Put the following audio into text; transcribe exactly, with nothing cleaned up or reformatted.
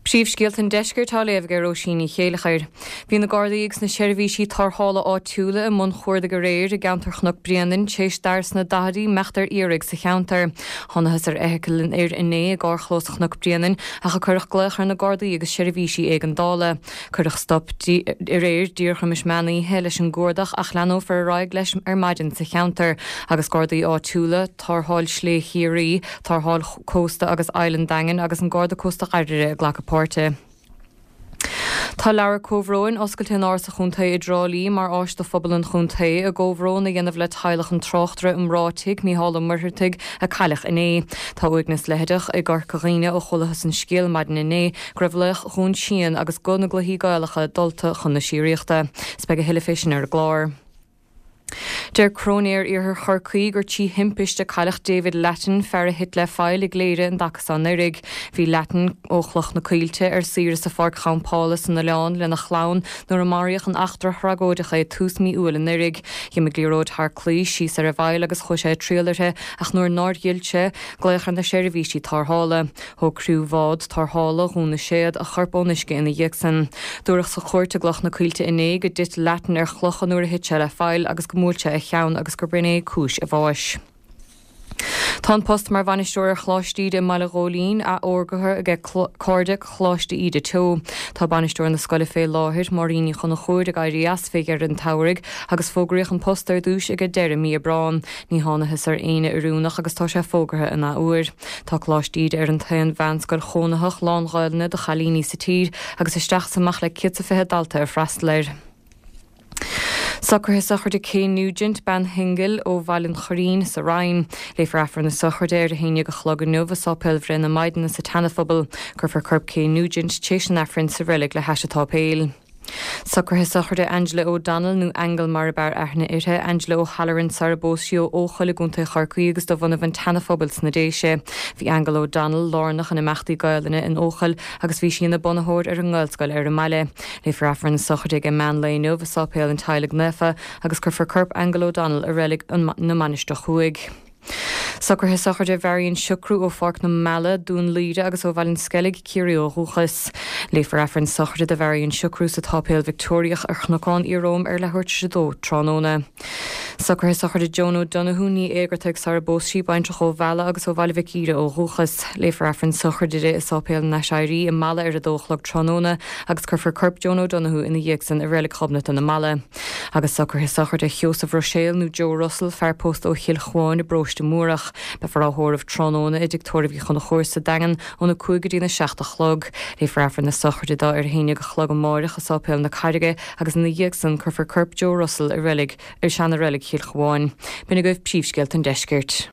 Príomhscéalta an Deiscirt á léamh ag Róisín Ní Chéilleachair. Bhí na Gardaí agus na seirbhísí tarrthála áitiúla i mbun chuardaigh aréir i gceantar Chnoc Bréanainn tar éis d'fhear sna daichidí imeacht ar iarraidh sa cheantar. Thángthas ar fheithicil an fhir inné i gcarrchlós Chnoc Bréanainn ach a cuireadh glaoch ar na Gardaí agus seirbhísí éigeandála. Cuireadh stop aréir díreach roimis meán oíche leis an gcuardach ach leanfar ar aghaidh leis ar maidin sa cheantar agus Gardaí áitiúla, tarrtháil Slé Chiarraí, tarrtháil Cósta agus Island Daingean agus an Garda Cósta Ghairire ag glacadh páirte. Tá leabhar comhbhróin oscailte in Áras an Chontae i dTrá Lí mar áis do phobal an chontae a gcomhbhrón a dhéanamh le teaghlach an tráchtaire iomráitigh Mícheál Ó Muircheartaigh a cailleadh inné. Tá uaigneas leitheadach i gCorca Dhuibhne ó chualathas an scéal maidin inné go raibh laoch Dhún Síon agus guth na gcluichí Gaelacha dulta chun na síoraíochta. 'S beidh a thuilleadh fé sin ar an gclár. Deir Cróinéir Iarthar Chorcaí gur trí thimpiste cailleadh David Lattin fear a thit le faill i gCléire an dtaca seo anuraidh. Bhí Lattin ó Chloch na Coillte ar saoire sa pháirc champála san oileán lena chlann nuair a maraíodh in eachtra thragóideach é tús mí Iúil anuraidh. D'imigh liathróid thar claí síos ar an bhfaill agus chuaigh sé ag triall uirthi ach nuair nár fhill sé, glaodh ar na seirbhísí tarrthála. Thóg criú bhád tarrthála Dhún na Séad a chorp ón uisce ina dhiaidh sin. Dúradh sa chúirt i gCloch na Coillte inné go dtit Lattin ar chlocha nuair a thit sé le faill agus go mbuail sé a cheann agus gurb in é cúis a bháis. Tá an post mar bhainisteoir ar Choláiste Íde i mBaile Ghóilín fógartha aige Cairde Choláiste Íde Teo. Tá bainisteoir na scoile fé láthair Máirín Ní Chonchúir ag éirí as fé dheireadh an tsamhraidh agus fógraíodh an post ar dtús ag deireadh mí Aibreán. Ní thángthas ar éinne oiriúnach agus tá sé fógartha an athuair. Tá Coláiste Íde ar an t-aon mheánscoil chónaitheach lán-Ghaelainne do chailíní sa tír agus isteach is amach le céad is fiche dalta ag freastal air. Socruithe sochraide Kay Nugent bean shingil ó Bhaile an Choirín sa Rinn. Léifear Aifreann na sochraide ar a haon déag a chlog inniu i Sáipéal Bhreith na Maighdine sa tSeanaphobal. Cuirfear corp Kay Nugent tar éis an Aifrinn sa reilig le hais an tsáipéil. Socruithe sochraide Angela O'Donnell nó Aingeal mar ab fhearr aithne uirthi, Angela O'Halloran sara bpós sí ó Eochaill i gContae Chorcaí agus de bhunadh an tSeanaphobail sna Déise. Bhí Aingeal O'Donnell lárnach in imeachtaí Gaelainne in Eochaill agus bhí sí ina bunaitheoir ar an nGaelscoil ar an mbaile. Léifear Aifreann na sochraide ag meán lae inniu i Sáipéal an Teaghlaigh Naofa agus cuirfear corp Aingeal O'Donnell i reilig na Mainistreach Thuaidh. Socruithe sochraide Mharion Siocrú ó Pháirc na Meala, Dún Laoghaire agus ó Bhaile an Sceilg, Ciarraí ó dhúchas. Léifear Aifreann sochraide do Mharion Siocrú sa tSáipéal Victoriach ar Chnocán Iaróm ar leathuair tar éis a dó tráthnóna. Socruithe sochraide Joan O'Donoghue ní Éigeartaigh sara bpós sí baintreach ó Mhala agus ó Bhaile Mhic Íre ó dhúchas. Léifear Aifreann sochraide di i Sáipéal an Aiséirí i Mala ar a dó a chlog tráthnóna agus cuirfear corp Joan O'Donoghue ina dhiaidh sin i reilig Ghobnatan i Mala. Agus socruithe sochraide Sheosamh Ruiséal nó Joe Russell fear pósta ó Chill Chuáin i bparóiste Múrach. Beifear á thórramh tráthnóna i dtigh tórraimh Uí Chonchúir sa Daingean óna cúig go dtí na seacht a chlog. Léifear Aifreann na sochraide dó ar a haon déag a chlog amárach i Sáipéal na Carraige agus ina dhiaidh sin cuirfear corp Joe Russell i reilig ar seana-reilig Chill Chuáin. B'in agaibh príomhscéalta an deiscirt.